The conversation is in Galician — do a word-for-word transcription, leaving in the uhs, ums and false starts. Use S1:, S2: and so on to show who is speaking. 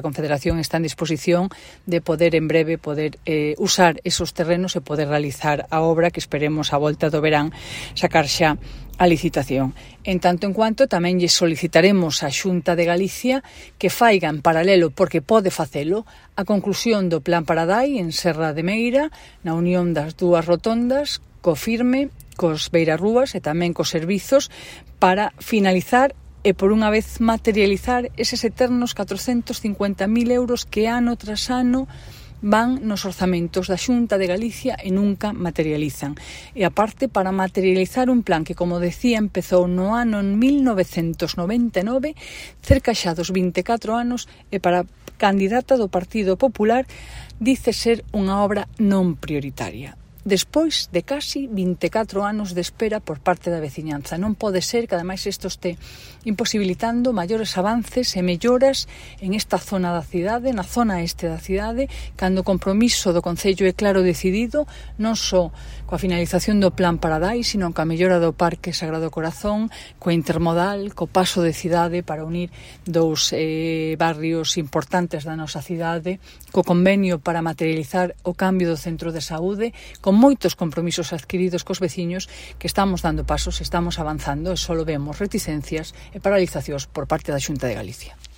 S1: A Confederación está en disposición de poder en breve poder eh, usar esos terrenos e poder realizar a obra que esperemos a volta do verán sacar xa a licitación. En tanto en cuanto tamén lle solicitaremos á Xunta de Galicia que faiga en paralelo, porque pode facelo, a conclusión do Plan Paradai en Serra de Meira, na unión das dúas rotondas, co Firme, cos Beirarrúas e tamén cos servizos para finalizar e por unha vez materializar eses eternos catrocentos cincuenta mil euros que ano tras ano van nos orzamentos da Xunta de Galicia e nunca materializan. E aparte, para materializar un plan que, como decía, empezou no ano mil novecentos noventa e nove, cerca xa dos vinte e catro anos, e para a candidata do Partido Popular dice ser unha obra non prioritaria. Despois de casi vinte e catro anos de espera por parte da veciñanza. Non pode ser que, ademais, isto este imposibilitando maiores avances e melloras en esta zona da cidade, na zona este da cidade, cando o compromiso do Concello é claro decidido, non só coa finalización do Plan Paradai, sino coa mellora do Parque Sagrado Corazón, coa intermodal, co paso de cidade para unir dous eh, barrios importantes da nosa cidade, co convenio para materializar o cambio do centro de saúde, con moitos compromisos adquiridos cos veciños, que estamos dando pasos, estamos avanzando e só vemos reticencias e paralizacións por parte da Xunta de Galicia.